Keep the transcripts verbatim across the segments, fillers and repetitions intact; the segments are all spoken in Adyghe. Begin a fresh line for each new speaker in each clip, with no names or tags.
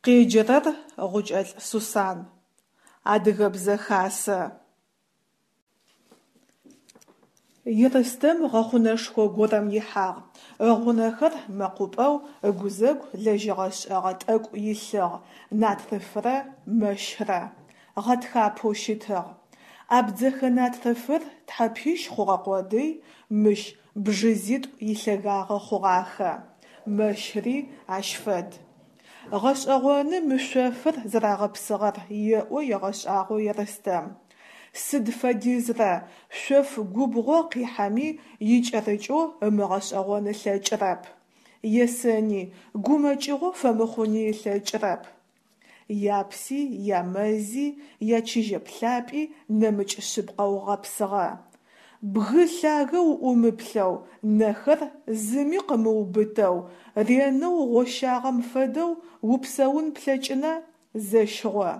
Къеджэрэр Гъукӏэлӏ Сусан. Адыгэбзэ хасэ. Ерстэм гъэхъунэшхо горэм ихьагъ, ыгъунэхэр мэкъупӏэу, ыгузэгу лэжьыгъэ шӏэгъэ тӏэкӏу илъыгъ – натрыфрэ мэщрэ. Гъэтхапэу щытыгъ. Абдзэхэ натрыфыр тхьэпищ хъугъэ къодый, мыщ бжызитӏу илъэгагъэ хъугъахэ. Мэщри ащ фэд. Гъэшӏэгъоны мы шъофыр зэрагъэпсыгъэр еӏо егъэшӏагъо Ерстэм. Сыд фэдизрэ шъоф губгъо къихьэми икӏэрыкӏэу ымыгъэшӏэгъон ылъэкӏырэп. Есэни, гумэкӏыгъо фэмыхъуни ылъэкӏырэп. Япси, ямэзи, ячыжьэплъапӏи нэмыкӏ шъыпкъэу гъэпсыгъэ. Бгы лъагэ уӏумыплъэу, нэхэр зыми къымыубытэу, ренэу гъощагъэм фэдэу упсэун плъэкӏына, зэщыгъо.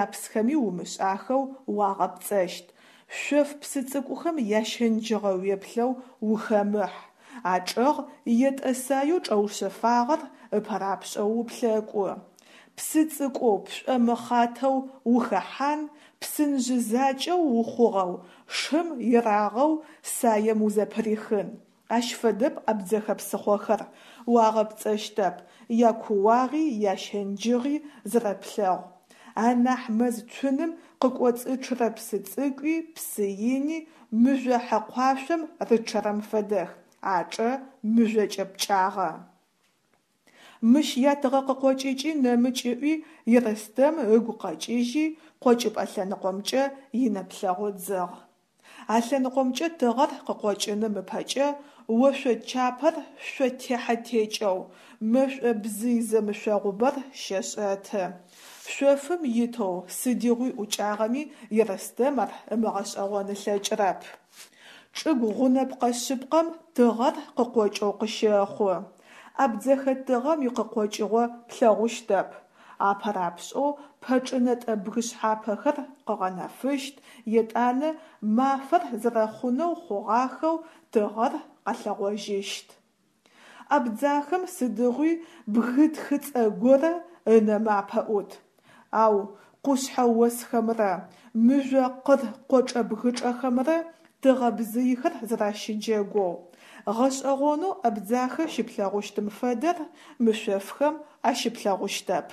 Япсхэми умышӏахэу уагъэпцӏэщт, шъоф псы цӏыкӏухэм ящэнджыгъэ уеплъэу ухэмыхь, ачӏэгъ етӏэ саеу чӏэушъэфагъэр ыпэрапшӏэу уплъэкӏу. Псы цӏыкӏоу пшӏомыхъатэу ухэхьан, псынжъы закӏэу ухъугъэу, шым ерагъэу саем узэпырихын. Ащ фэдэп абдзэхэ псыхъохэр, уагъэпцӏэщтэп, якууагъи ящэнджыгъи зэрэплъэгъу. Анахь мэз цуным къыкӏоцӏычъырэ псы цӏыкӏуи псы ини мыжъо хьэкъуашъом рычъэрэм фэдэх, ачӏэ мыжъокӏэ пкӏагъэ. Мыщ ятыгъэ къыкъокӏыкӏи нэмыкӏ ыӏуи Ерстэм ыгу къэкӏыжьи, къокӏыпӏэ лъэныкъомкӏэ инэплъэгъу ыдзыгъ. А лъэныкъомкӏэ тыгъэр къыкъокӏыным ыпэкӏэ ошъо чапэр шъо техьэ-текӏэу, мэшӏо бзый зэмышъогъубэр щэшӏэты. Шъофым итэу сыдигъуи ӏукӏагъэми Ерстэм ар ымыгъэшӏэгъон ылъэкӏырэп. Чӏыгу гъунэпкъэ шъыпкъэм тыгъэр къыкъокӏэу къыщэхъу. Абдзэхэ тыгъэм икъыкъокӏыгъо плъэгъущтэп. Апэрапшӏэу пэчӏынэтӏэ бгышъхьапэхэр къыгъэнэфыщт, етӏанэ мафэр зэрэхъунэу хъугъахэу тыгъэр къэлъэгъожьыщт. Абдзахэм сыдигъуи бгы тхыцӏэ горэ ынэмэ апэӏут. Ау къушъхьэ осхэмрэ мыжъо къыр къочӏэ-бгычӏэхэмрэ тыгъэ бзыйхэр зэращыджэгоу, гъэшӏэгъонэу Абдзахэ щыплъэгъущтым фэдэр мы шъофхэм ащыплъэгъущтэп.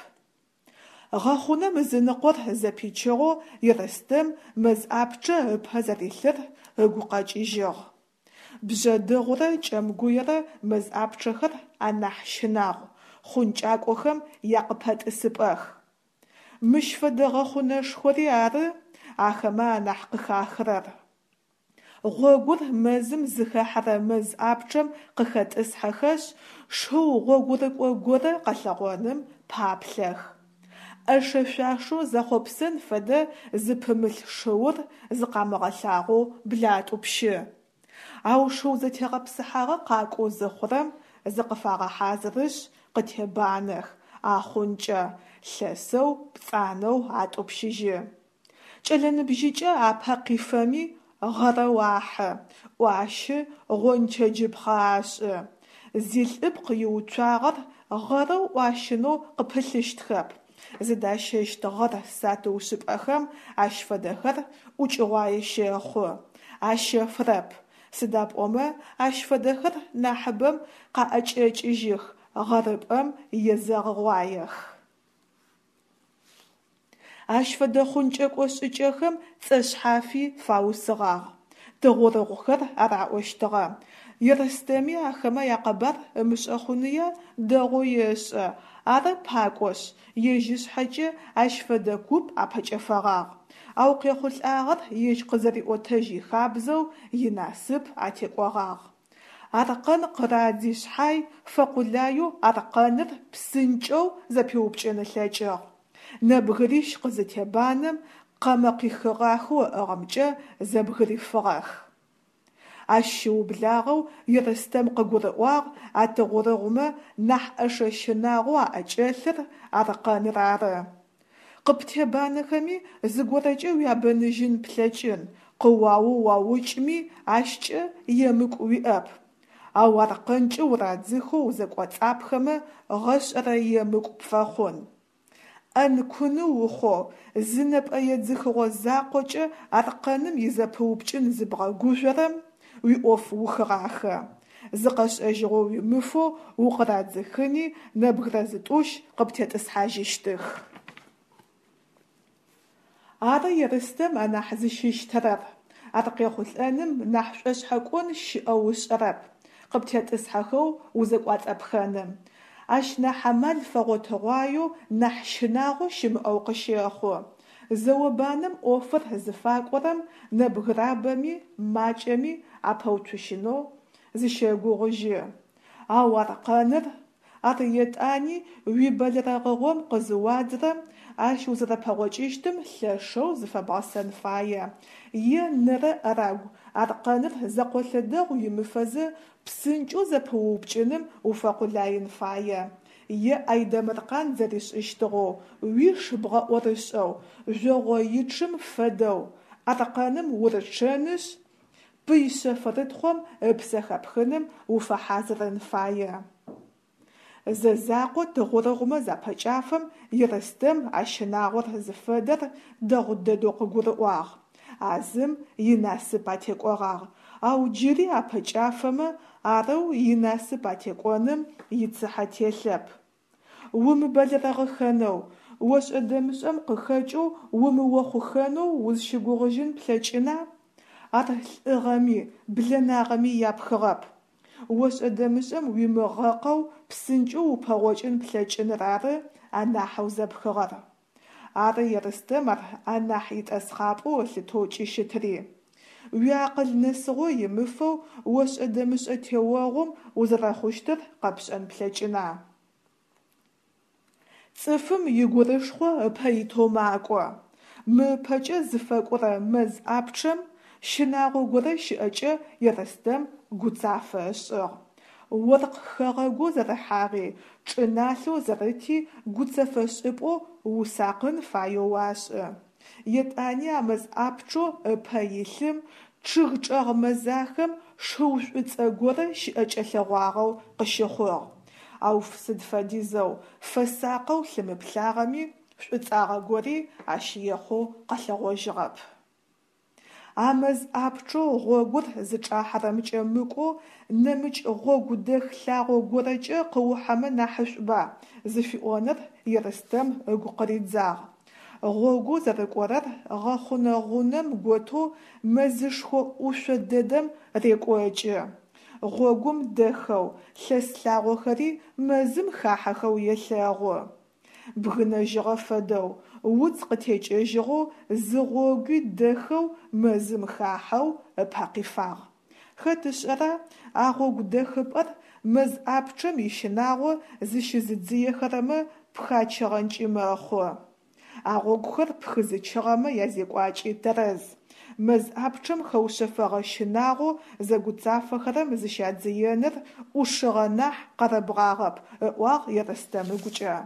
Гъэхъунэм ызыныкъор зэпичыгъэу Ерстэм мэз ӏапчъэ ыпэ зэрилъыр ыгу къэкӏыжьыгъ. Бжъэдыгъурэ Кӏэмгуерэ мэз ӏапчъэхэр анахь щынагъу, хъункӏакӏохэм якъыпэтӏысыпӏэх. Мыщ фэдэ гъэхъунэшхори ары ахэмэ анахь къыхахырэр. Гъогур мэзым зыхэхьэрэ мэз ӏапчъэм къыхэтӏысхьэхэшъ, шыу гъогурыкӏо горэ къэлъэгъоным паплъэх. Ӏэшэ-шъуашэу зэхъопсэн фэдэ зыпымылъ шыур зыкъамыгъэлъагъоу блатӏупщы. Ау шыу зэтегъэпсыхьагъэ къакӏоу зыхъурэм, зыкъыфагъэхьазырышъ къытебанэх, ахъункӏэ, лъэсэу, пцӏанэу атӏупщыжьы. Кӏэлэ ныбжьыкӏэ апэ къифэми гъэрэу ахьы, ӏуащы, гъончэджыпхъэ ашӏы. Зилӏыпкъ иуцуагъэр гъэрэу ӏуащынэу къыпылъыщтхэп, зыдащэщт гъэр сатыушӏыпӏэхэм ащ фэдэхэр ӏукӏыгъуае щэхъу, ащэфырэп, сыда пӏомэ ащ фэдэхэр нахьыбэм къаӏэкӏэкӏыжьых, гъэрыпӏэм езэгъыгъуаех. Ащ фэдэ хъункӏэкӏо шӏыкӏэхэм цӏэ шъхьафи фаусыгъагъ: тыгъурыгъухэр араӏощтыгъэ. Ерстэми ахэмэ якъэбар ымышӏэ хъуныя, дэгъоу ешӏэ, ары пакӏошъ, ежь ышъхьэкӏэ ащ фэдэ куп апэкӏэфэгъагъ, ау къехъулӏагъэр ежь къызэриӏотэжь ихабзэу, инасып атекӏогъагъ. Аркъэн къырадзи шъхьай, фэкъулаеу аркъэныр псынкӏэу зэпиупкӏын ылъэкӏыгъ. Нэбгырищ къызытебанэм, къэмэ къихыгъахэу ыӏыгъымкӏэ зэбгырифыгъэх. Ащ щыублагъэу Ерстэм къыгурыӏуагъ а тыгъурыгъумэ нахь ӏэшэ щынагъоу аӏэкӏэлъыр аркъэныр ары. Къыптебанэхэми зыгорэкӏэ уябэныжьын плъэкӏын, къыуаоу уаукӏми ащкӏэ емыкӏу уиӏэп. Ау аркъэнкӏэ урадзыхэу узэкӏоцӏапхэмэ гъэшӏэрэ емыкӏу пфэхъун. ӏэн-куны ухъоу, зы нэпӏэ едзыхыгъо закъокӏэ аркъэным изэпыупкӏын зыбгъэгужъорэм, уиӏоф ухыгъахэ. Зыкъэшӏэжьыгъо уимыфэу укъырадзыхыни, нэбгырэ зытӏущ къыптетӏысхьажьыщтых. Ары Ерстэм анахь зыщыщтэрэр. Ар къехъулӏэным нахь шӏошъхьэкӏон щыӏэу ышӏэрэп, къыптетӏысхьэхэу узэкӏуалӏэпхэным. Ащ нахь амал фэгъотыгъуаеу, нахь щынагъо щымыӏэу къыщэхъу. Зэо-банэм ӏофыр зыфакӏорэм нэбгырабэми, макӏэми апэуцужьынэу зыщэгугъыжьы. Ау аркъэныр? Ар етӏани уибэлэрэгъыгъом къызыуадзырэм, ащ узэрэпэгъокӏыщтым лъэшэу зыфэбгъэсэн фае, е нэрэ-ӏэрагу аркъэныр зэкъолъэдэгъу уимыфэзэ псынкӏэу зэпыуупкӏыным уфэкъулаин фае, е Айдэмыркъан зэришӏыщтыгъэу, уиш бгъэӏорышӏэу, жъогъоичъым фэдэу, аркъэным урычъэнышъ, пый шъэфрытхъом ыпсэ хэпхыным уфэхьазырын фае. Зэ закъо тыгъурыгъумэ запэкӏафэм Ерстэм а щынагъор зыфэдэр дэгъу дэдэу къыгурыӏуагъ. А зым инасып атекӏогъагъ, ау джыри апэкӏафэмэ, арэу инасып атекӏоным ицыхьэ телъэп. Умыбэлэрэгъыхэнэу, ошӏэ-дэмышӏэм къыхэкӏэу умыохъухэнэу узщыгугъыжьын плъэкӏына? Ар лӏыгъэми, блэнагъэми япхыгъэп. Ошӏэ-дэмышӏэм уимыгъэкъэу псынкӏэу упэгъокӏын плъэкӏыныр ары анахьэу зэпхыгъэр. Ары Ерстэм ар анахь итӏэсхъапӏэу ылъытэу кӏыщытри. Уиакъыл нэсыгъо имыфэу ошӏэ-дэмышӏэ теогъум узэрэхъущтыр къэпшӏэн плъэкӏына? Цӏыфым игурышхъо ыпэ итэу макӏо. Мы ыпэкӏэ зыфэкӏорэ мэз ӏапчъэм щынагъо горэ щыӏэкӏэ Ерстэм гуцафэ ышӏыгъ. Оркъ хэгъэгоу зэрыхьагъи, чӏыналъэу зэрыти гуцэфэшӏыпӏэу усакъын фаеу уашӏы. Етӏани а мэз ӏапчъэу ыпэ илъым, чъыг чӏэгъ мэзахэм шыу шӏуцӏэ горэ щыӏэкӏэлъэгъуагъэу къыщыхъугъ. Ау сыд фэдизэу фэсакъэу лъымыплъагъэми, шӏуцӏагъэ гори ащ ехъоу къэлъэгъожьыгъэп. А мэз ӏапчъэу гъогур зычӏахьэрэмкӏэ мыкӏоу нэмыкӏ гъогу дэх лъагъо горэкӏэ къыухьэмэ нахьышӏуба зыфиӏоныр Ерстэм ыгу къыридзагъ. Гъогоу зэрыкӏорэр гъэхъунэ гъунэм готэу мэзышхо ӏушъо дэдэм рекӏокӏы. Гъогум дэхэу, лъэс лъагъохэри мэзым хахьэхэу елъэгъу. Бгынэжьыгъэ фэдэу, уц къытекӏэжьыгъэу зы гъогуи дэхэу мэзым хахьэу ыпэ къифагъ. Хэт ышӏэра, а гъогу дэхыпӏэр мэз ӏапчъэм ищынагъо зыщызыдзыехэрэмэ пхачыгъэнкӏи мэхъу. А гъогухэр пхызычыгъэмэ язекӏуакӏи тэрэз. Мэз ӏапчъэм хэушъэфэгъэ щынагъоу зэгуцафэхэрэм зыщадзыеныр ӏушыгъэ нахь къэрэбгъагъэп, ыӏуагъ Ерстэм ыгукӏэ.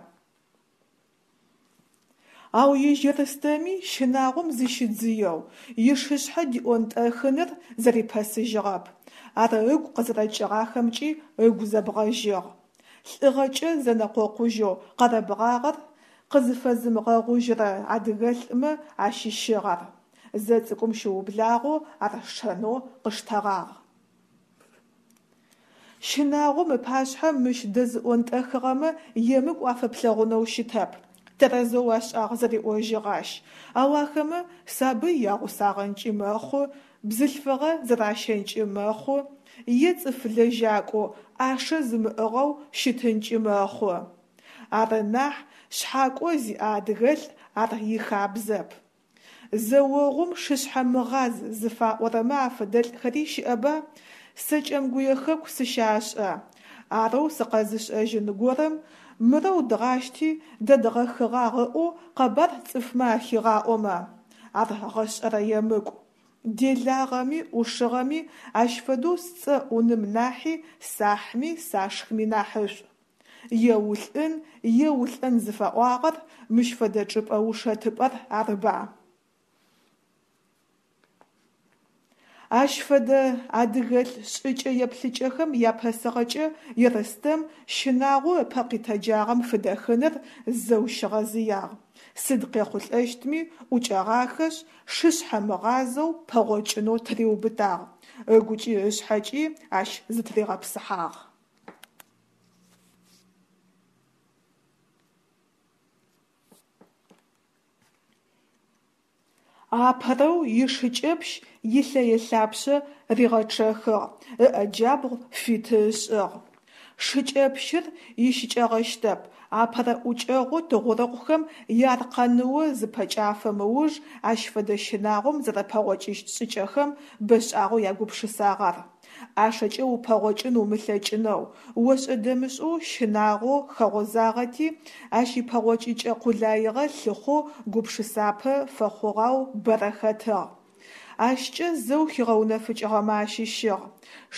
Ау ежь Ерстэми щынагъом зыщидзыеу, ишышъхьэ диӏонтӏэхыныр зэрипэсыжьыгъэп. Ар ыгу къызэрэкӏыгъахэмкӏи ыгу зэбгъэжьыгъ. Лӏыгъэкӏэ зэнэкъокъужьэу къэрэбгъагъэр къызыфэзымыгъэгъужьырэ адыгэлӏмэ ащыщыгъ ар. Зэцӏыкӏум щыублагъэу ар шэнэу къыштэгъагъ. Щынагъом ыпашъхьэ мыщ дэзыӏонтӏэхыгъэмэ емыкӏу афэплъэгъунэу щытэп. Тэрэзэу ашӏагъ зэриӏожьыгъ ащ. Ау ахэмэ сабый ягъусагъэнкӏи мэхъу, бзылъфыгъэ зэращэнкӏи мэхъу, е цӏыф лэжьакӏоу, ӏашэ зымыӏыгъэу щытынкӏи мэхъу. Ары нахь, шъхьакӏо зиӏэ адыгэлӏ ар ихабзэп. Зэогъум шышъхьэмыгъаз зыфаӏорэмэ афэдэлӏхэри щыӏэба? Сэ Кӏэмгуе хэку сыщашӏэ. Арэу сыкъэзышӏэжьын горэм мырэу дгъащти дэдгъэхыгъагъ ыӏоу къэбар цӏыфмэ ахигъаӏомэ? Ар гъэшӏэрэ емыкӏу. Делагъэми, ӏушыгъэми ащ фэдэу сцӏэ ӏуным нахьи сахьми сашхми нахьышӏу. Е улӏын, е улӏэн зыфаӏуагъэр мыщ фэдэ чӏыпӏэ ушэтыпӏэр арыба? Ащ фэдэ адыгэлӏ шӏыкӏэ-еплъыкӏэхэм япэсыгъэкӏэ Ерстэм щынагъоу ыпэ къитэджагъэм фыдэхыныр зэу щигъэзыягъ, сыд къехъулӏэщтми, ӏукӏэгъахэшъ, шышъхьэмыгъазэу пэгъокӏынэу тыриубытагъ, ыгукӏи ышъхьэкӏи ащ зытыригъэпсыхьагъ. Апэрэу ишыкӏэпщ илъэе-лъапшъэ ригъэчъэхыгъ, ыӏэ джабгъу фиты ышӏыгъ. Шыкӏэпщыр ищыкӏэгъэщтэп, апэрэ ӏукӏэгъоу тыгъурыгъухэм яаркъэныо зыпэкӏафэм ыуж ащ фэдэ щынагъом зэрэпэгъокӏыщт шӏыкӏэхэм бэшӏагъэу ягупшысагъ ар. ӏашэкӏэ упэгъокӏын умылъэкӏынэу, ошӏэ-дэмышӏэу щынагъоу хэгъозагъэти, ащ ипэгъокӏыкӏэ къулаигъэ лъыхъоу гупшысапэ фэхъугъэу бэрэ хэтыгъ. Ащкӏэ зэу хигъэунэфыкӏыгъэмэ ащыщыгъ: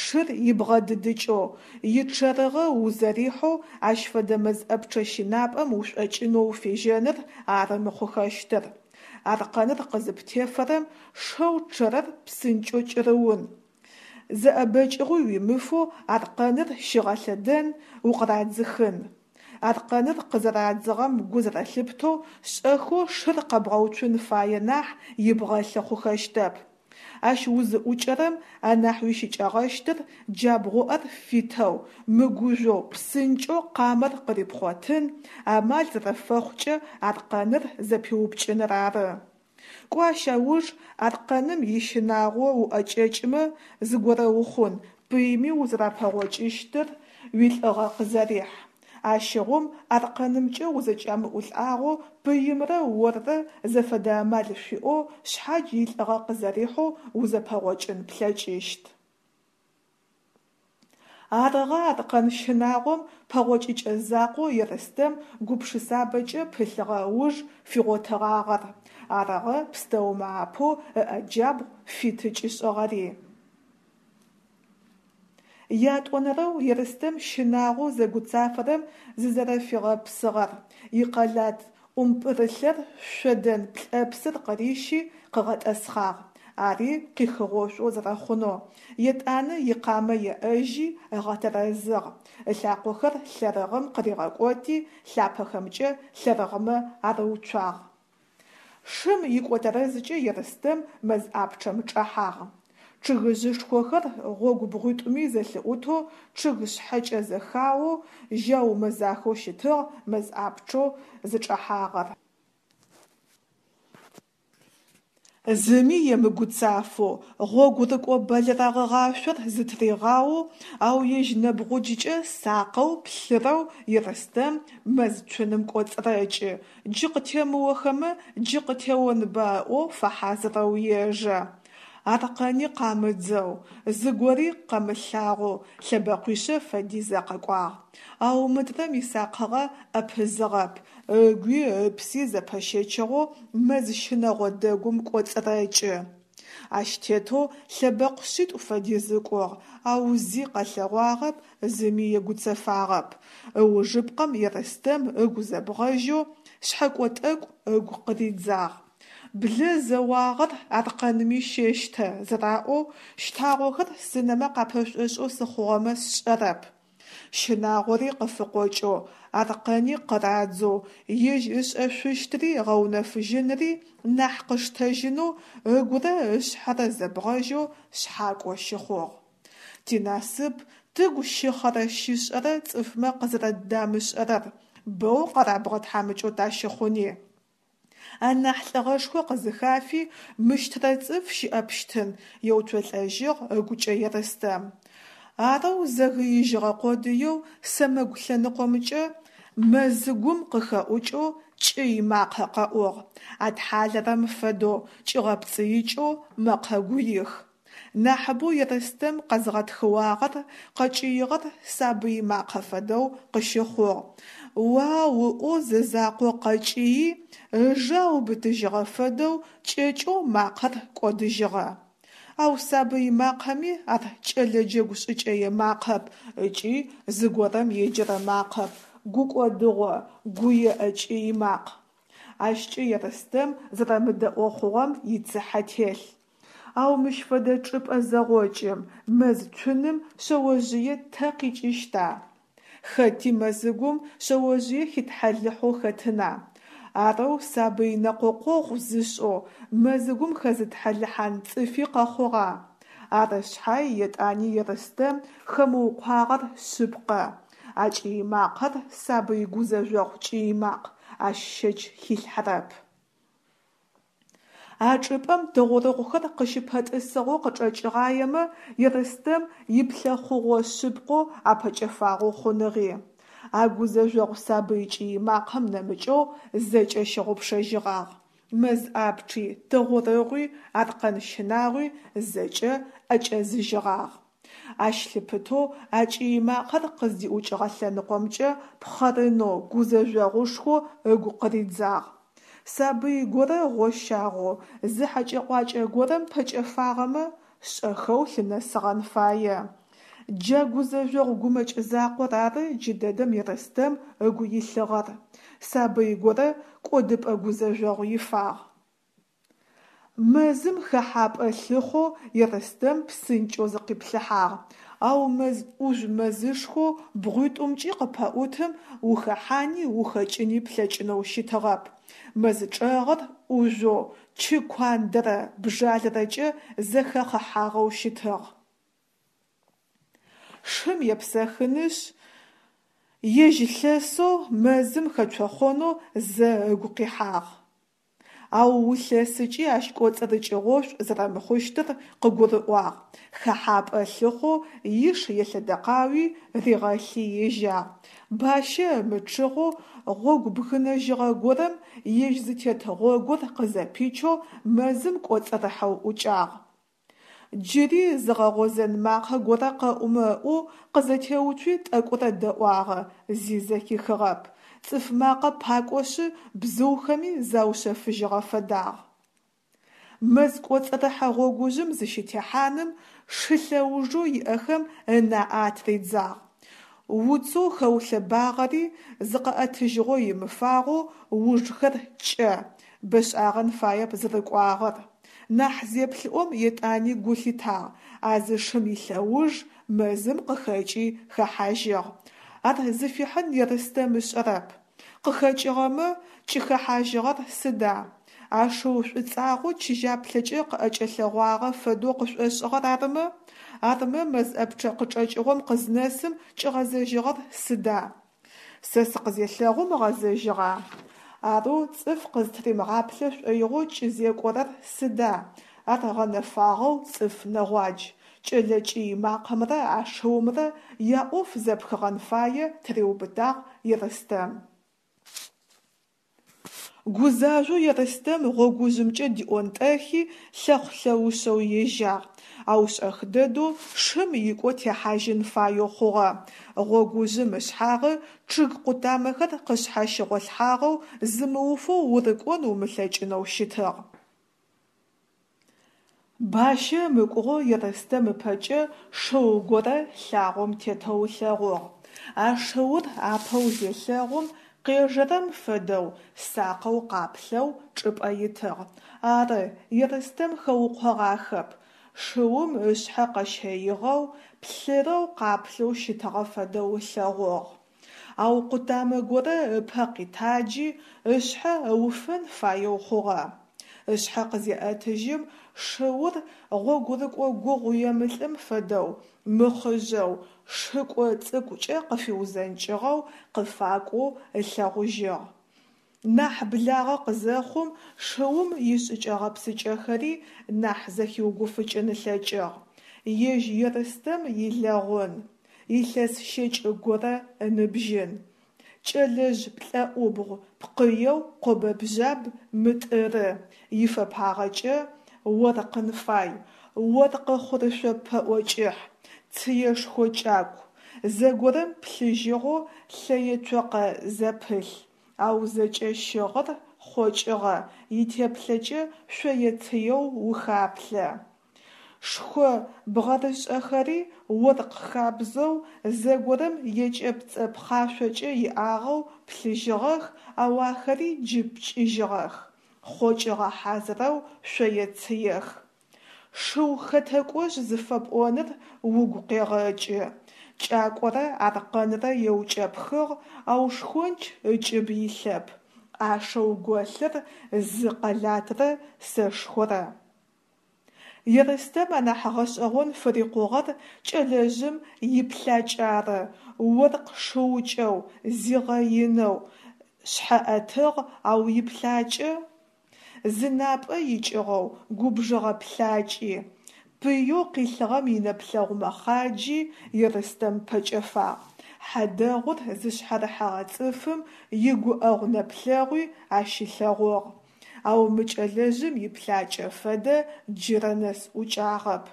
шыр ибгъэдыдыкӏэу, ичъэрыгъэ узэрихьэу ащ фэдэ мэз ӏэпчъэ щынапӏэм ушӏокӏынэу уфежьэныр ары мыхъухэщтыр. Аркъэныр къызыптефэрэм шэу чъэрэр псынкӏэу кӏырыун. Зэӏэбэкӏыгъуи уимыфэу аркъэныр щигъэлъэдэн, укъырадзыхын. Аркъэныр къызэрадзыгъэм гу зэрэлъыптэу шӏэхэу шыр къэбгъэуцун фае нахь ибгъэлъы хъухэщтэп. Ащ узыӏукӏэрэм анахь уищыкӏэгъэщтыр джабгъуӏэр фитэу, мыгужъоу псынкӏэу къамэр къырипхъотын, амал зэрэфэхъукӏэ аркъэныр зэпиупкӏыныр ары. Кӏо ащ ыуж аркъэным ищынагъо уӏэкӏэкӏымэ зыгорэ ухъун, пыйми узэрапэгъокӏыщтыр уилӏыгъэ къызэрихь. Ащыгъум аркъэнымкӏэ узэкӏамыӏулӏагъэу пыимрэ оррэ зэфэдэ амал шъуиӏэу шъхьадж илӏыгъэ къызэрихьэу узэпэгъокӏын плъэкӏыщт. Арыгъэ аркъэн щынагъом пэгъокӏыкӏэ закъоу Ерстэм гупшысабэкӏэ пылъыгъэ ыуж фигъотыгъагъэр, арыгъэ пстэумэ апэу ыӏэ джабгъу фиты кӏишӏыгъэри. Ятӏонэрэу Ерстэм щынагъоу зэгуцафэрэм зызэрэфигъэпсыгъэр: икъэлат ӏумпӏырылъэр шъодэн плӏэпсыр къырищи къыгъэтӏэсхъагъ, ари къихыгъошӏоу зэрэхъунэу, етӏанэ икъамэ еӏэжьи ыгъэтэрэзыгъ, ылъакъохэр лъэрыгъым къыригъэкӏоти лъапэхэмкӏэ лъэрыгъмэ арыуцуагъ. Шым икӏотэрэзкӏэ Ерстэм мэз ӏапчъэм чӏэхьагъ. Чъыгыжъышхохэр гъогу бгъуитӏуми зэлъыӏутэу чъыг шъхьэкӏэ зэхаоу, жьау мэзахэу щытыгъ мэз ӏапчъэу зычӏэхьагъэр. Зыми емыгуцафэу, гъогурыкӏо бэлэрэгъыгъашъор зытыригъаоу, ау ежь нэбгъуджыкӏэ сакъэу, плъырэу Ерстэм мэз цуным кӏоцӏырэкӏы, джы къытемыохэмэ джы къытеонба ыӏоу фэхьазырэу ежэ. Аркъэни къамыдзэу, зыгори къэмылъагъоу лъэбэкъуишъэ фэдизэ къыкӏуагъ. Ау мыдрэм исакъыгъэ ӏэпызыгъэп, ыгуи ыпси зэпэщэчыгъэу мэз щынэгъо дэгум кӏоцӏырэкӏы. Ащ тетэу лъэбэкъу шъитӏу фэдиз ыкӏугъ, ау зи къэлъэгъуагъэп, зыми егуцэфагъэп. Ыужыпкъэм Ерстэм ыгу зэбгъэжьэу шъхьэкӏо тӏэкӏу ыгу къыридзагъ. Блэ зэуагъэр аркъэнми щэщтэ зэраӏоу, щтагъохэр сынэмэ къапэшӏошӏэу сыхъугъэмэ сшӏэрэп. Щынагъори къыфыкъокӏэу, аркъэни къырадзэу, ежь ышӏэшъущтыри ыгъэунэфыжьыныри нахь къыштэжьынэу ыгурэ ышъхьэрэ зэбгъэжьэу шъхьакӏо щыхъугъ. Тинасып тыгу щыхъэрэ-щышӏэрэр цӏыфмэ къызэрэддамышӏэрэр, боу къэрабгъэ тхьамыкӏэу тащыхъуни. Анахь лӏыгъэшхо къызыхафи мыщтрэ цӏыф щыӏэпщтын, еуцолӏэжьыгъ ыгукӏэ Ерстэм. Арэу зэгыижьыгъэ къодыеу сэмэгу лъэныкъомкӏэ мэзыгум къыхэӏукӏэу кӏый макъэ къэӏугъ, атхьалэрэм фэдэу кӏигъэпцӏыикӏэу мэкъэ гуих. Нахьыбэу Ерстэм къэзгъэтхыуагъэр къэкӏыигъэр сабый макъэ фэдэу къыщыхъугъ. Уау ыӏоу зэзакъо къэкӏыи, ыжэ аубытыжьыгъэ фэдэу кӏэкӏэу макъэр кӏодыжьыгъэ. Ау сабый макъэми ар кӏэлэ джэгу шӏыкӏэе макъэп ыкӏи зыгорэм еджэрэ макъэп, гукӏодыгъо, гуеӏэ кӏый макъ. Ащкӏэ Ерстэм зэрэмыдэӏо хъугъэм ицыхьэ телъ. Ау мыщ фэдэ чӏыпӏэ зэгъокӏым, мэз цуным шъэожъые тэ къикӏыщта? Хэти мэзыгум шъэожъые хитхьалыхьэу хэтына? Арэу сабый нэкъокъогъу зышӏэу мэзыгум хэзытхьалыхьан цӏыфи къэхъугъа? Ары шъхьай етӏани Ерстэм хэмыукъуагъэр шъыпкъэ: а кӏый макъэр сабый гузэжъогъу кӏый макъ, ащ щэч хилъхьэрэп. А чӏыпӏэм тыгъурыгъухэр къыщыпэтӏысыгъэу къычӏэкӏыгъаемэ Ерстэм иплъэхъугъо шъыпкъэу апэкӏэфагъэу хъуныгъи. А гузэжъогъу сабый кӏый макъэм нэмыкӏэу зэкӏэ щыгъупшэжьыгъагъ. Мэз ӏапчъи, тыгъурыгъуи, аркъэн щынагъуи зэкӏэ ӏэкӏэзыжьыгъагъ. Ащ лъыпытэу а кӏый макъэр къыздиӏукӏыгъэ лъэныкъомкӏэ пхъэрынэу гузэжъогъушхо ыгу къыридзагъ. Сабый горэ гъощагъэу зы хьэкӏэ-къуакӏэ горэм пэкӏэфагъэмэ, шӏэхэу лъынэсыгъэн фае. Джа гузэжъогъу гумэкӏ закъор ары джыдэдэм Ерстэм ыгу илъыгъэр. Сабый горэ кӏодыпӏэ гузэжъогъу ифагъ. Мэзым хэхьапӏэ лъыхъоу Ерстэм псынкӏэу зыкъиплъыхьагъ, ау мэз ӏужъу мэзышхоу бгъуитӏумкӏи къыпэӏутым ухэхьани ухэкӏыни плъэкӏынэу щытыгъэп. Мэз чӏэгъыр ӏужъоу, чы куандэрэ бжалэрэкӏэ зэхэхъыхьагъэу щытыгъ. Шым епсэхынышъ, ежь лъэсэу мэзым хэцохъонэу зэ ыгу къихьагъ. Ау улъэсыкӏи ащ кӏоцӏырыкӏыгъошӏу зэрэмыхъущтыр къыгурыӏуагъ, хэхьапӏэ лъыхъоу иш елъэдэкъауи ригъэлъи ежьагъ. Бащэ ымычъыгъэу гъогу бгынэжьыгъэ горэм ежь зытет гъогур къызэпичэу мэзым кӏоцӏырыхьэу ӏукӏагъ. Джыри зыгъэгъозэн макъэ горэ къэӏумэ ыӏоу къызэтеуцуи тӏэкӏурэ дэӏуагъэ, зи зэхихыгъэп. Цӏыф макъэ пакӏошъы бзыухэми заушъэфыжьыгъэ фэдагъ. Мэз кӏоцӏырыхьэ гъогужъым зыщытехьаным шы лъэужэу иӏэхэм ынаӏэ атыридзагъ. Уцэу хэулъэбагъэри зыкъэӏэтыжьыгъо имыфагъэу ужхэр кӏэ, бэшӏагъэн фаеп зырыкӏуагъэр. Нахь зеплъыӏом етӏани гу лъитагъ, а зы шым илъэуж мэзым къыхэкӏи хэхьажьыгъ. Ар зыфихьын Ерстэм ышӏэрэп. Къыхэкӏыгъэмэ, кӏыхэхьажьыгъэр сыда? А шыу шӏуцӏагъэу чыжьаплъэкӏэ къыӏэкӏэлъэгъуагъэ фэдэу къышӏошӏыгъэр арымэ? Армэ мэз ӏэпчъэ къычӏэкӏыгъом къызнэсым кӏигъэзэжьыгъэр сыда? Сэ сыкъызелъэгъум ыгъэзэжьыгъа? Арэу цӏыф къызтыримыгъаплъэ шӏоигъоу кӏызекӏорэр сыда? Ар гъэнэфагъэу цӏыф нэгъуадж. Кӏэлэ кӏый макъэмрэ а шыумрэ яӏоф зэпхыгъэн фае тыриубытагъ Ерстэм. Гузажъоу Ерстэм гъогужъымкӏэ диӏонтӏэхи лъэхъу-лъэушъэу ежьагъ, ау шӏэх дэдэу шым икӏо техьажьын фаеу хъугъэ. Гъогужъым ышъхьагъы чъыг къутамэхэр къышъхьащыгъолъхьагъэу зымыуфэу урыкӏон умылъэкӏынэу щытыгъ. Бащэ ымыкӏугъэу Ерстэм ыпэкӏэ шыу горэ лъагъом тетэу ылъэгъугъ. А шыур апэу зелъэгъум, къежэрэм фэдэу, сакъэу къаплъэу чӏыпӏэ итыгъ. Ары, Ерстэм хэукъогъахэп, шыум ышъхьэ къэщэигъэу, плъырэу къаплъэу щытыгъэ фэдэу ылъэгъугъ. Ау къутамэ горэ ыпэ къитаджи, ышъхьэ ыуфэн фаеу хъугъэ. Ышъхьэ къызеӏэтыжьым, шыур гъогурыкӏо гугъуемылӏым фэдэу, мыхъыжъэу, шыкӏо цӏыкӏукӏэ къыфиузэнкӏыгъэу къыфакӏоу ылъэгъужьыгъ. Нахь благъэ къызэхъум шыум ишӏыкӏэ-гъэпсыкӏэхэри нахь зэхиугуфыкӏын ылъэкӏыгъ. Ежь Ерстэм илэгъун, илъэс щэкӏ горэ ыныбжьын. Кӏэлэжъ плӏэӏубгъу пкъыеу къобэ-бжъаб мытӏыры, ифэпагъэкӏэ оркъын фай, оркъы хъурышъо пэӏо кӏыхь, цыешхо кӏаку, зэгорэм плъыжьыгъэу лъэе-цокъэ зэпылъ, ау зэкӏэ щыгъыр хъокӏыгъэ, итеплъэкӏэ шъое-цыеу ухаплъэ. Шхъо бгъэрышӏэхэри оркъ хабзэу, зэгорэм екӏэпцӏэ пхъашъокӏэ иӏагъэу плъыжьыгъэх, ау ахэри джы пкӏыжьыгъэх, хъокӏыгъэ хьазырэу шъое-цыех. Шыу хэтэкӏожъ зыфэпӏоныр угу къегъэкӏы. Кӏакӏорэ аркъэнрэ еукӏэпхыгъ, ау шхонч ыкӏыб илъэп, ӏашэу голъыр зы къэлатрэ сэшхорэ. Ерстэм анахь гъэшӏэгъон фырикъугъэр кӏэлэжъым иплъакӏ ары: оркъ шыукӏэу, зигъэинэу, шъхьэӏэтыгъ, ау иплъакӏэ? Зынапӏэ икӏыгъэу губжыгъэ плъакӏи, пыеу къилъыгъэм инэплъэгъу мэхъаджи Ерстэм пэкӏэфагъ, хьадэгъур зышъхьэрыхьэгъэ цӏыфым игуӏэгъу нэплъэгъуи ащилъэгъугъ, ау мы кӏэлэжъым иплъакӏэ фэдэ джырэ нэс ӏукӏагъэп.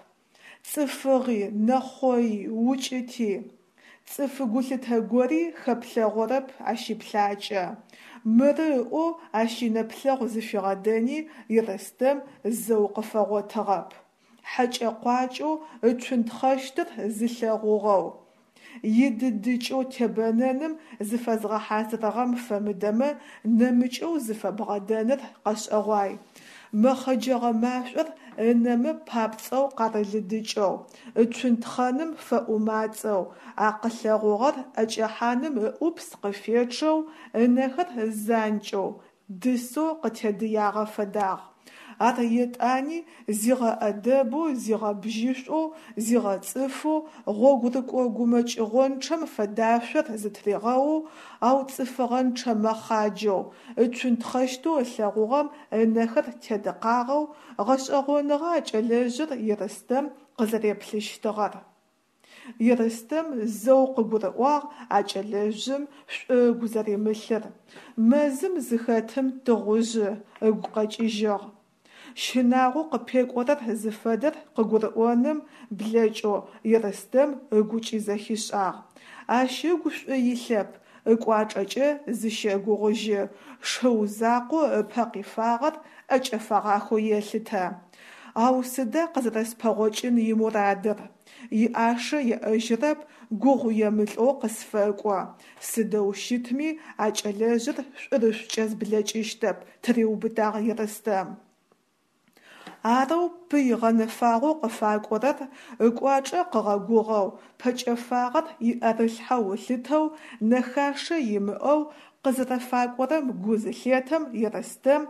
Цӏыфыгъи, нэхъои, укӏыти, цӏыф гулъытэ гори хэплъэгъорэп ащ иплъакӏэ. Мыры ыӏоу ащ инэплъэгъу зыфигъэдэни Ерстэм зэу къыфэгъотыгъэп. Хьэкӏэ-къуакӏэу ыцунтхъэщтыр зылъэгъугъэу, идыдыкӏэу тебэнэным зыфэзгъэхьазырыгъэм фэмыдэмэ нэмыкӏэу зыфэбгъэдэныр къэшӏэгъуай. Мэхъэджэгъэ машӏор ынэмэ папцӏэу къарылыдыкӏэу, ыцунтхъэным фэӏумацӏэу, а къылъэгъугъэр ӏэкӏэхьаным ыӏупс къыфечъэу, ынэхэр занкӏэу, дысэу къытедыягъэ фэдагъ. Ар етӏани зигъэӏэдэбэу, зигъэбжьышӏоу, зигъэцӏыфэу, гъогурыкӏо гумэкӏыгъончъэм фэдашъор зытыригъэоу, ау цӏыфыгъэнчъэ мэхъаджэу, ыцунтхъэщтэу ылъэгъугъэм ынэхэр тедыкъагъэу, гъэшӏэгъоныгъэ а кӏэлэжъыр Ерстэм къызэреплъыщтыгъэр. Ерстэм зэу къыгурыӏуагъ а кӏэлэжъым шӏу ыгу зэримылъыр, мэзым зыхэтым тыгъужъы ыгу къэкӏыжьыгъ. Щынагъоу къыпекӏорэр зыфэдэр къыгурыӏоным блэкӏэу Ерстэм ыгукӏи зэхишӏагъ: ащ ыгу шӏу илъэп, ыкӏуачӏэкӏэ зыщэгугъыжьы, шыу закъоу ыпэ къифагъэр ӏэкӏэфэгъахэу елъытэ. Ау сыда къызэрэспэгъокӏын имурадыр? Иӏашэ еӏэжьырэп, гугъу емылӏэу къысфэкӏо. Сыдэу щытми а кӏэлэжъыр шӏурышӏукӏэ зблэкӏыщтэп, тыриубытагъ Ерстэм. Арэу пый гъэнэфагъэу къыфакӏорэр ыкӏуачӏэ къыгъэгугъэу, пэкӏэфагъэр иӏэрылъхьэу ылъытэу, нэхашэ имыӏэу къызэрэфакӏорэм гу зылъетэм Ерстэм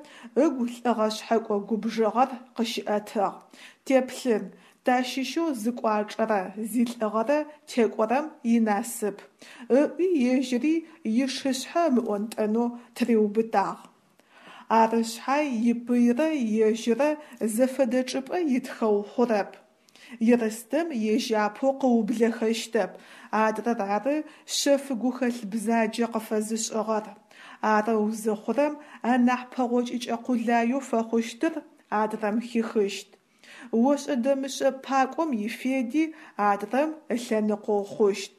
ыгу лӏыгъэ шъхьэкӏо губжыгъэр къыщиӏэтыгъ. Теплъын, тащыщэу зыкӏуачӏэрэ зилӏыгъэрэ текӏорэм инасып, ыӏуи ежьыри ишышъхьэ ымыӏонтӏэнэу тыриубытагъ. Ары шъхьай ипыйрэ ежьырэ зэфэдэ чӏыпӏэ итхэу хъурэп. Ерстэм ежь апэу къыублэхэщтэп, адрэр ары шъэф гухэлъ бзаджэ къыфэзышӏыгъэр. Арэу зыхъурэм анахь пэгъокӏыкӏэ къулаеу фэхъущтыр адрэм хихыщт. Ошӏэ-дэмышӏэ пакӏом ифеди адрэм ылъэныкъоу хъущт.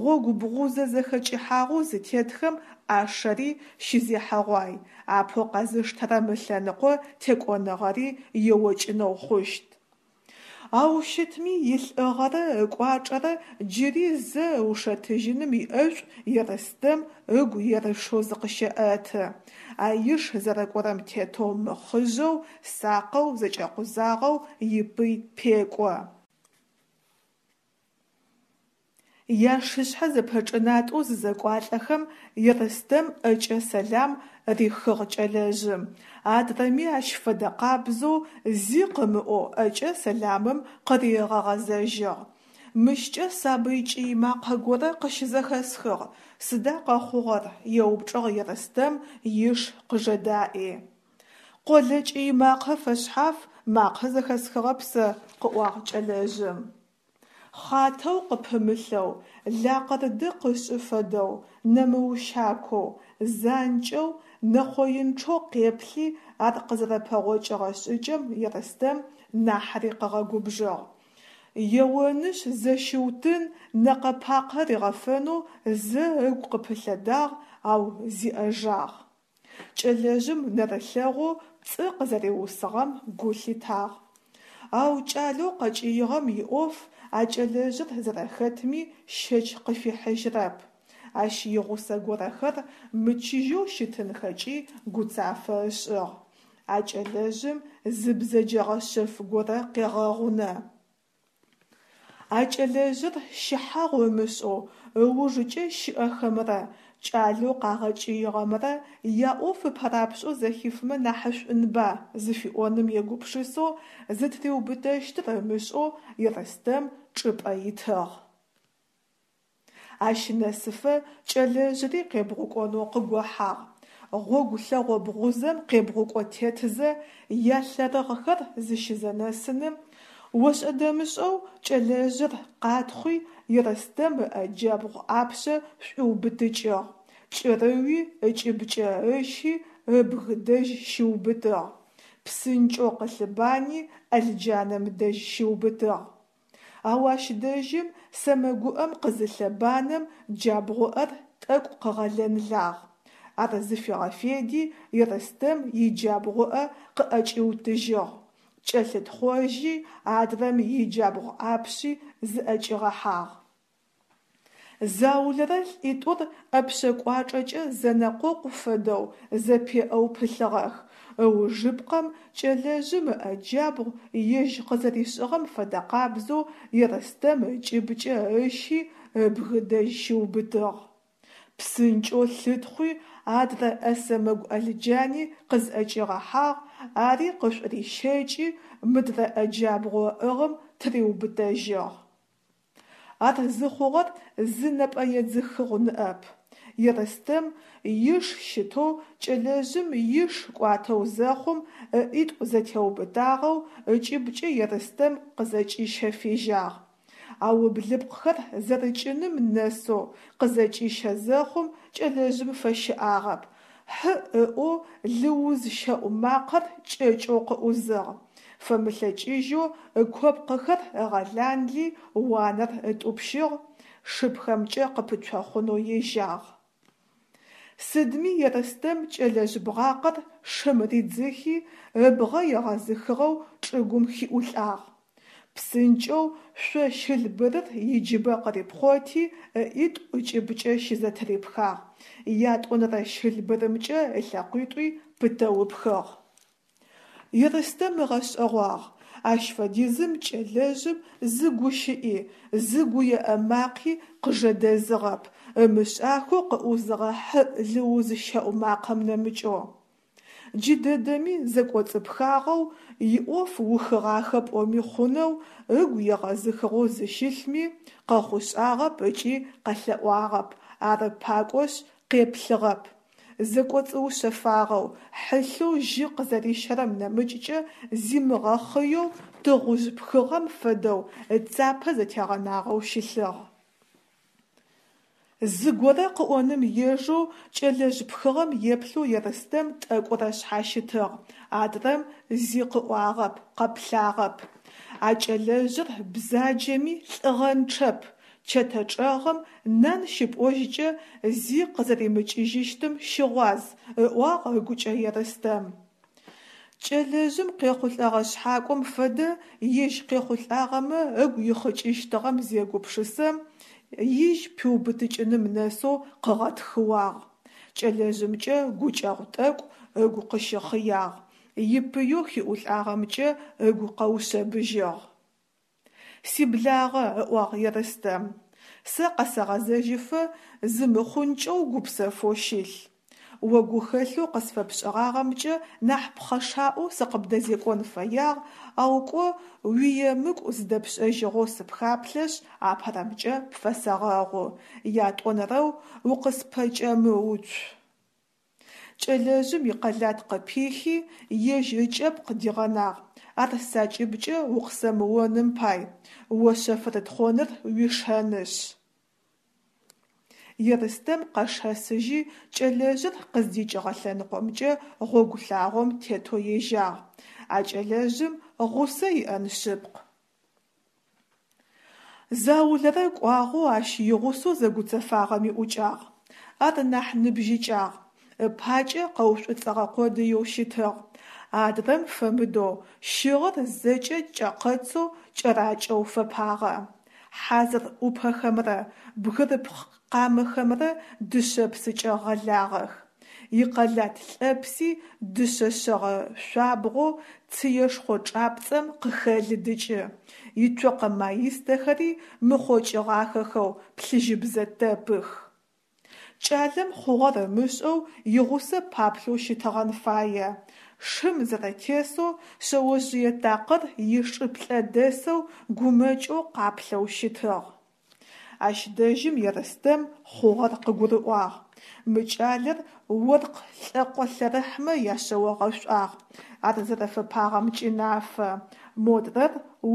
Гъогу бгъузэ зэхэкӏыхьагъэу зытетхэм ӏашэри щызехьэгъуай, апэу къэзыштэрэм ылъэныкъо текӏоныгъэри еокӏынэу хъущт. Ау щытми илӏыгъэрэ ыкӏуачӏэрэ джыри зэ ыушэтыжьыным иӏэшӏу Ерстэм ыгу ерышэу зыкъыщеӏэты. А иш зэрэкӏорэм тетэу мыхъыжъэу, сакъэу, зэкӏэкъузагъэу ипый пекӏо. Яшышъхьэ зэпэчӏынатӏэу зызэкӏуалӏэхэм Ерстэм ӏэкӏэ сэлам рихыгъ кӏэлэжъым, адрэми ащ фэдэ къабзэу зи къымыӏоу ӏэкӏэ сэламым къыригъэгъэзэжьыгъ. Мыщкӏэ сабый кӏый макъэ горэ къыщызэхэсхыгъ, сыда къэхъугъэр? – еупчӏыгъ Ерстэм иш къыжэдаӏи. Къолэ кӏый макъэ фэшъхьаф макъэ зэхэсхыгъэп сэ, – къыӏуагъ кӏэлэжъым. Хъатэу къыпымылъэу, лакъырды къышӏы фэдэу, нэмыущакоу, занкӏэу, нэхъоинчъэу къеплъи ар къызэрэпэгъокӏыгъэ шӏыкӏэм Ерстэм нахьыри къыгъэгубжыгъ. Еонышъ зэщиутын, нэкъэ-пакъэ ригъэфэнэу зэ ыгу къыпылъэдагъ, ау зиӏэжагъ. Кӏэлэжъым нэрылъэгъоу пцӏы къызэриусыгъэм гу лъитагъ. Ау кӏалэу къэкӏыигъэм иӏоф а кӏэлэжъыр зэрэхэтми щэч къыфихьыжьырэп. Ащ игъусэ горэхэр мычыжьэу щытынхэкӏи гуцафэ ышӏыгъ. А кӏэлэжъым зы бзэджэгъэ шъэф горэ къегъэгъунэ. А кӏэлэжъыр щыхьагъу ымышӏэу ыужыкӏэ щыӏэхэмрэ кӏалэу къагъэкӏыигъэмрэ яӏоф ыпэрапшӏэу зэхифымэ нахьышӏунба зыфиӏоным егупшысэу, зытыриубытэщтыр ымышӏэу Ерстэм чӏыпӏэ итыгъ. Ащ нэсыфэ кӏэлэжъыри къебгъукӏонэу къыгохьагъ. Гъогу лъэгъо бгъузэм къебгъукӏо тетызэ, ялъэрыгъхэр зыщызэнэсыным, ошӏэ-дэмышӏэу кӏэлэжъыр къатхъуи Ерстэм ыӏэ джабгъу ӏапшъэ шӏуиубытыкӏыгъ, кӏырыуи ыкӏыбкӏэ ыщи ыбг дэжь щиубытыгъ, псынкӏэу къылъыбани ӏэлджанэм дэжь щиубытыгъ. Ау ащ дэжьым сэмэгуӏэм къызылъэбанэм джабгъуӏэр тӏэкӏу къыгъэлэнлагъ. Ар зыфигъэфеди Ерстэм иджабгъуӏэ къыӏэкӏиутыжьыгъ, кӏэлъытхъожьи адрэм иджабгъу ӏапшъи зыӏэкӏигъэхьагъ. Заулэрэ лӏитӏур ӏэпшъэ кӏуачӏэкӏэ зэнэкъокъу фэдэу зэпеӏэу пылъыгъэх, ыужыпкъэм кӏэлэжъым ыӏэ джабгъу ежь къызэришӏыгъэм фэдэкъабзэу Ерстэм ыкӏыбкӏэ ыщи ыбг дэжь щиубытыгъ. Псынкӏэу лъытхъуи адрэ ӏэ сэмэгу ӏэлджани къызӏэкӏигъэхьагъ, ари къышӏурищэкӏи мыдрэ ӏэ джабгъоу ыӏыгъым тыриубытэжьыгъ. Ар зыхъугъэр зы нэпӏэедзыхыгъу ныӏэп. Ерстэм иш щытэу кӏэлэжъым иш кӏуатэу зэхъум ыӏитӏу зэтеубытагъэу ыкӏыбкӏэ Ерстэм къызэкӏищэ фежьагъ. Ау ыблыпкъхэр зэрыкӏыным нэсэу къызэкӏищэ зэхъум кӏэлэжъым фэщыӏагъэп, хьыӏ ыӏоу лыуз щэӏу макъэр кӏэкӏэу къыӏузыгъ, фэмылъэкӏыжьэу ыкопкъыхэр ыгъэланли уанэр ытӏупщыгъ, шыпхэмкӏэ къыпыцохъунэу ежьагъ. Сыдми Ерстэм кӏэлэжъ бгъакъэр шым ридзыхи, ыбгъэ егъэзыхыгъэу чӏыгум хиӏулӏагъ. Псынкӏэу шъо щылбырыр иджыбэ къырипхъоти ыӏитӏу ыкӏыбкӏэ щызэтырипхагъ, ятӏонэрэ щылбырымкӏэ ылъэкъуитӏуи пытэу ыпхыгъ. Ерстэм ыгъэшӏэгъуагъ: ащ фэдизым кӏэлэжъым зы гущыӏи, зы гуеӏэ макъи къыжэдэзыгъэп, ымышӏахэу къыӏузыгъэ хьыӏ лыуз щэӏу макъэм нэмыкӏэу. Джыдэдэми зэкӏоцӏыпхагъэу, иӏоф ухыгъахэ пӏоми хъунэу, ыгу егъэзыхыгъэу зыщылъми, къэхъушӏагъэп ыкӏи къэлъэӏуагъэп, ары пакӏошъ къеплъыгъэп. Зэкӏоцӏыушъэфагъэу, хьылъэу жьы къызэрищэрэм нэмыкӏкӏэ зимыгъэхъыеу тыгъужъ пхыгъэм фэдэу ыцапэ зэтегъэнагъэу щылъыгъ. Зыгорэ къыӏоным ежэу кӏэлэжъ пхыгъэм еплъэу Ерстэм тӏэкӏурэ шъхьащытыгъ, адрэм зи къыӏуагъэп, къэплъагъэп. А кӏэлэжъыр бзаджэми лӏыгъэнчъэп, чэтэ чӏэгъым нан щыпӏожькӏэ зи къызэримыкӏыжьыщтым щыгъуаз, ыӏуагъ ыгукӏэ Ерстэм. Кӏэлэжъым къехъулӏэгъэ шъхьакӏом фэдэ ежь къехъулӏагъэмэ ыгу ихъыкӏыщтыгъэм зегупшысэм, ижь пиубытыкӏыным нэсэу къыгъэтхыуагъ. Кӏэлэжъымкӏэ гукӏэгъу тӏэкӏу ыгу къыщыхъыягъ, ипыеу хиӏулӏагъэмкӏэ ыгу къэушъэбыжьыгъ. Сиблагъэ, ыӏуагъ Ерстэм, сэ къэсэгъэзэжьыфэ зымыхъункӏэу гупсэфэу щылъ. О гухэлъэу къысфэпшӏыгъагъэмкӏэ нахь пхъэшаӏоу сыкъыбдэзекӏон фэягъ, ау кӏо уиемыкӏу зыдэпшӏэжьыгъэу сыпхаплъэшъ, апэрэмкӏэ пфэсэгъэгъу, ятӏонэрэу укъыспэкӏэмыуцу. Кӏэлэжъым икъэлат къыпихи, ежь ыкӏэпкъ дигъэнагъ: «Ар сакӏыбкӏэ укъысэмыоным пай, о шъэфрытхъоныр уишэнышъ». Ерстэм къэшэсыжьи кӏэлэжъыр къыздикӏыгъэ лъэныкъомкӏэ гъогу лъагъом тетэу ежьагъ. А кӏэлэжъым гъусэ иӏэн шъыпкъ. Заулэрэ кӏуагъэу ащ игъусэу зэгуцэфагъэми ӏукӏагъ. Ар нахь ныбжьыкӏагъ, ыпакӏэ къэушӏуцӏэгъэ къодыеу щытыгъ. Адрэм фэмыдэу щыгъыр зэкӏэ кӏэкъэцэу кӏэракӏэу фэпагъэ. Хьазыр ӏупэхэмрэ бгырыпх къамэхэмрэ дышъэпсыкӏэ гъэлагъэх. Икъэлат лӏэпси дышъэ шъэгъэ шъуабгъоу цыешхъо чӏапцӏэм къыхэлыдыкӏы, ицокъэ маистэхэри мыхъокӏыгъахэхэу плъыжьыбзэ тэпых. Кӏалэм хъугъэр ымышӏэу игъусэ паплъэу щытыгъэн фае, шым зэрэтесэу шъэожъые такъыр ишыплӏэ дэсэу гумэкӏэу къаплъэу щытыгъ. Ащ дэжьым Ерстэм хъугъэр къыгурыӏуагъ: мы кӏалэр оркъ лӏэкъо лъэрыхьмэ яшъэо гъэшӏуагъ, ар зэрэфэпагъэмкӏи нафэ, модрэр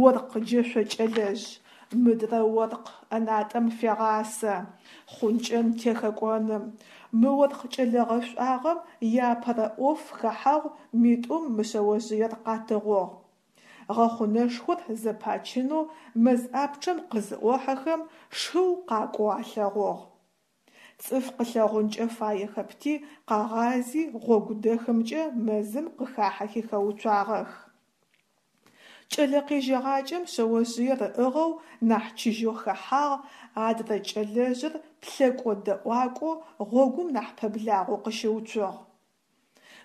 оркъ джэшъо кӏэлэжъ, мыдрэ оркъ ӏэнатӏэм фегъасэ, хъункӏэн-техэкӏоным. Мы оркъ кӏэлэ гъэшӏуагъэм иапэрэ ӏоф хэхьэгъу митӏум мы шъэожъыер къатыгъугъ. Гъэхъунэшхор зэпачынэу мэз ӏапчъэм къызыӏохьэхэм, шыу къакӏоу алъэгъугъ. Цӏыф къылъэгъункӏэ фаехэпти, къагъази гъогу дэхымкӏэ мэзым къыхахьэхи хэуцуагъэх. Кӏэлэ къежьэгъакӏэм шъэожъыер ыӏыгъэу нахь чыжьэу хэхьагъ, адрэ кӏэлэжъыр плъэкӏо-дэӏуакӏоу гъогум нахь пэблагъэу къыщыуцугъ.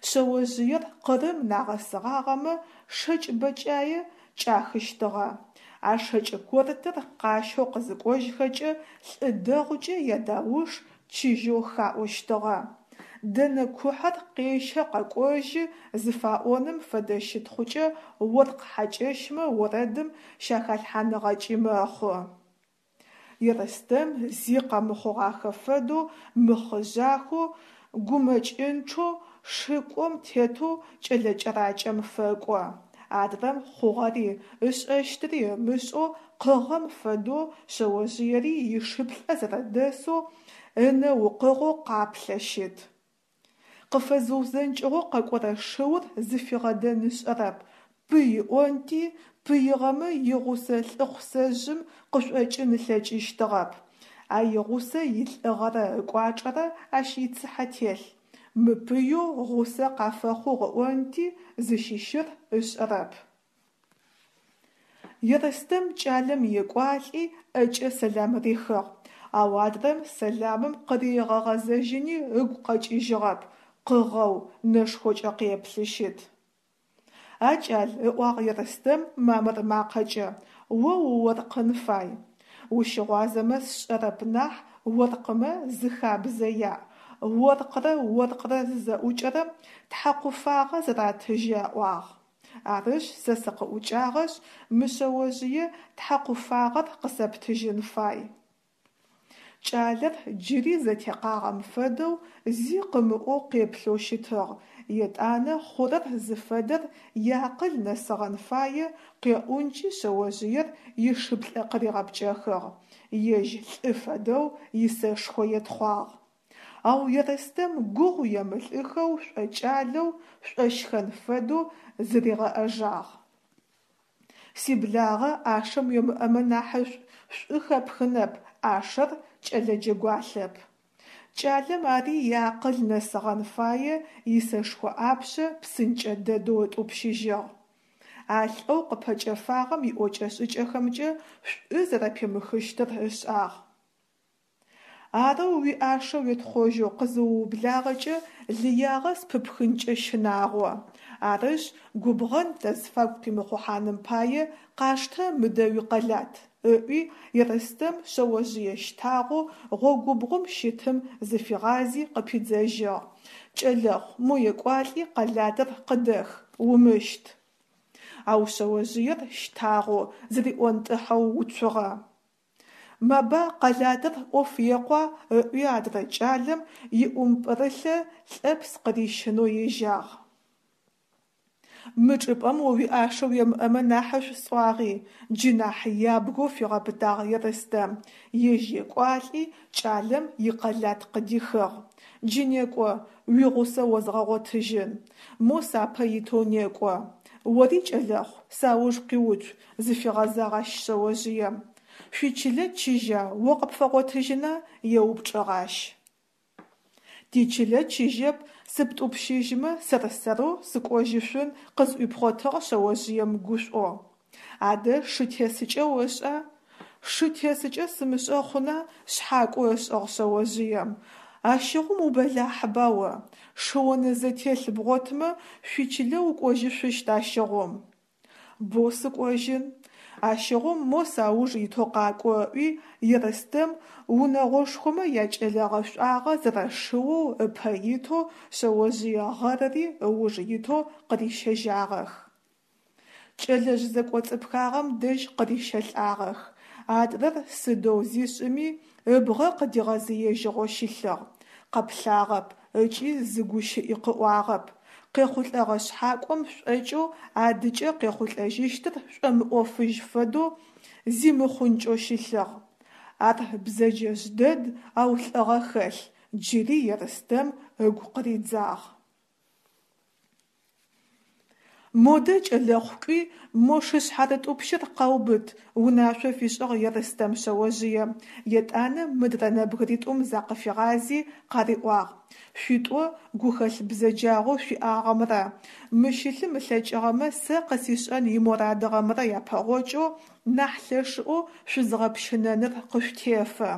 Шъэожъыер Къырым нагъэсыгъагъэмэ шэкӏ бэкӏае кӏахыщтыгъэ, а шэкӏ кортыр къащэу къызыкӏожьхэкӏэ лӏы дэгъукӏэ ядауш чыжьэу хаӏощтыгъэ, дэнэ кухьэр къещэ къэкӏожьы зыфаӏоным фэдэ щытхъукӏэ оркъ хьакӏэщмэ орэдым щахалъхьаныгъэкӏи мэхъу. Ерстэм зи къэмыхъугъахэ фэдэу мыхъыжъахэу, гумэкӏынчъэу шыкӏом тетэу кӏэлэ кӏэракӏэм фэкӏо. Адрэм хъугъэри, ышӏэщтыри ымышӏэу къыгъэм фэдэу шъэожъыери ишыплӏэ зэрэдэсэу ынэ укъыгъэу къаплъэ щыт. Къыфэзыузэнкӏыгъэу къэкӏорэ шыур зыфигъэдэн ышӏэрэп, пый ыӏонти, пыигъэмэ игъусэ лӏыхъусэжъым къышӏокӏын ылъэкӏыщтыгъэп, а игъусэ илӏыгъэрэ ыкӏуачӏэрэ ащ ицыхьэ телъ, мыпыеу гъусэ къафэхъугъ ыӏонти, зыщыщыр ышӏэрэп. Ерстэм кӏалэм екӏуалӏи ӏэкӏэ сэлам рихыгъ, ау адрэм сэламым къыригъэгъэзэжьыни ыгу къэкӏыжьыгъэп, къыгъэу, нэшхокӏэ къеплъы щыт. А кӏал, ыӏуагъ Ерстэм мамыр макъэкӏэ, о уоркъын фай. Ущыгъуазэмэ сшӏэрэп нахь оркъымэ зы хабзэ яӏ: оркърэ оркърэ зызэӏукӏэрэм тхьакъуфагъэ зэратыжьы аӏуагъ. Арышъ, сэ сыкъыӏукӏагъэшъ, мы шъэожъые тхьакъуфагъэр къысэптыжьын фай. Кӏалэр джыри зэтекъагъэм фэдэу зи къымыӏоу къеплъэу щытыгъ, етӏанэ хъурэр зыфэдэр иакъыл нэсыгъэн фае къеӏункӏи шъэожъыер ишыплӏэ къыригъэпкӏэхыгъ, ежь лӏы фэдэу исэшхо етхъуагъ. Ау Ерстэм гугъу емылӏыхэу шӏокӏалэу, шӏощхэн фэдэу зыригъэӏэжагъ. Сиблагъэ ӏашэм уемыӏэмэ нахьышӏу, шӏу хэпхынэп, ӏашэр кӏэлэ джэгуалъэп. Кӏалэм ари иакъыл нэсыгъэн фае исэшхо ӏапшъэ псынкӏэ дэдэу ытӏупщыжьыгъ. А лӏэу къыпэкӏэфагъэм иӏокӏэ-шӏыкӏэхэмкӏэ шӏу зэрэпимыхыщтыр ышӏагъ. Арэу уиӏашэ уетхъожьэу къызыуублагъэкӏэ лыягъэ спыпхынкӏэ щынагъо. Арышъ, губгъэн тазфагу къимыхъухьаным пае къаштэ мыдэ уикъэлат, ыӏуи Ерстэм шъэожъые щтагъэу гъогубгъум щытым зыфигъази къыпидзэжьыгъ: «Кӏэлэхъу, мо екӏуалӏи къэлатыр къыдэх, умыщт!» Ау шъэожъыер щтагъэу, зыриӏонтӏыхьэу уцугъэ. Маба, къэлатыр ӏоф екъуа, ыӏуи адрэ кӏалэм иӏумпӏырылъэ лӏэпс къырищынэу ежьагъ. Мы чӏыпӏэм о уиӏашэ уемыӏэмэ нахьышӏу сӏуагъи, джы нахь ябгэу фигъэпытагъ Ерстэм, ежь екӏуалӏи кӏалэм икъэлат къыдихыгъ. Джы некӏо, уигъусэ озгъэгъотыжьын. Мо сапэ итэу некӏо. Ори, кӏэлэхъу, сауж къиуцу, зыфигъэзагъ ащ шъэожъыем. Шъуичылэ чыжьа, о къыпфэгъотыжьына? Еупчӏыгъ ащ. Тичылэ чыжьэп, сыптӏупщыжьмэ сэр-сэрэу сыкӏожьышъун, къызӏуипхъотыгъ шъэожъыем гушӏоу. Адэ шы тесыкӏэ ошӏа? Шы тесыкӏэ сымышӏэ хъуна, шъхьакӏо ышӏыгъ шъэожъыем. Ащыгъум убэлахьыба о, шыонэзэтелъ бгъотмэ шъуичылэ укӏожьышъущт ащыгъум. Боу сыкӏожьын. Ащыгъум мо сауж итэу къакӏо, ыӏуи Ерстэм унэгъошхомэ якӏэлэ гъэшӏуагъэ зэрэшыоу ыпэ итэу, шъэожъые гъэрыри ыуж итэу къырищэжьагъэх. Кӏэлэжъ зэкӏоцӏыпхагъэм дэжь къырищэлӏагъэх. Адрэр сыдэу зишӏыми ыбгъэ къыдигъэзыежьыгъэу щылъыгъ, къэплъагъэп ыкӏи зы гущыӏи къыӏуагъэп, къехъулӏэгъэ шъхьакӏом шӏокӏэу адыкӏэ къехъулӏэжьыщтыр шӏомыӏофыжь фэдэу зимыхъункӏэу щылъыгъ. Ар бзэджэжъ дэд, ау лӏыгъэ хэлъ, джыри Ерстэм ыгу къыридзагъ. Модэ, кӏэлэхъу, кӏуи мо шышъхьарытӏупщыр къэубыт, унашъо фишӏыгъ Ерстэм шъэожъыем, етӏанэ мыдрэ нэбгыритӏум закъыфигъази къариӏуагъ: «Шъуитӏо гухэлъ бзэджагъэу шъуиӏагъэмрэ, мы щылъым ылъэкӏыгъэмэ сэ къысишӏэн иморадыгъэмрэ япэгъокӏэу нахь лъэшыӏоу шъузгъэпщынэныр къышъутефэ.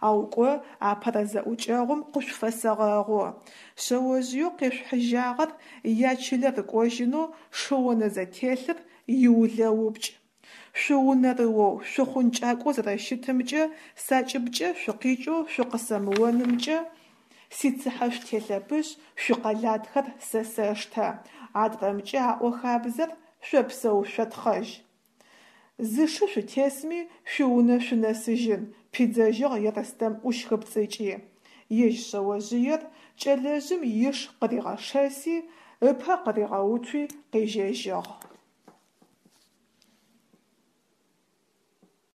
Ау кӏо апэрэ зэӏукӏэгъум къышъуфэсэгъэгъу. Шъэожъыеу къешъухьыжьагъэр ячылэ рыкӏожьынэу шыонэзэтелъыр иулэупкӏ. Шъуунэрыоу, шъухъункӏакӏоу зэрэщытымкӏэ, сакӏыбкӏэ шъукъикӏэу шъукъысэмыонымкӏэ сицыхьэ шъутелъэпышъ шъуикъэлатхэр сэ сэштэ, адрэмкӏэ аӏо хабзэр шъопсэу-шъотхъэжь. Зы шы шъутесми шъуиунэ шъунэсыжьын, пидзэжьыгъ Ерстэм ӏущхыпцӏыкӏи, ежь шъэожъыер кӏэлэжъым иш къыригъэшэси, ыпэ къыригъэуцуи къежьэжьыгъ.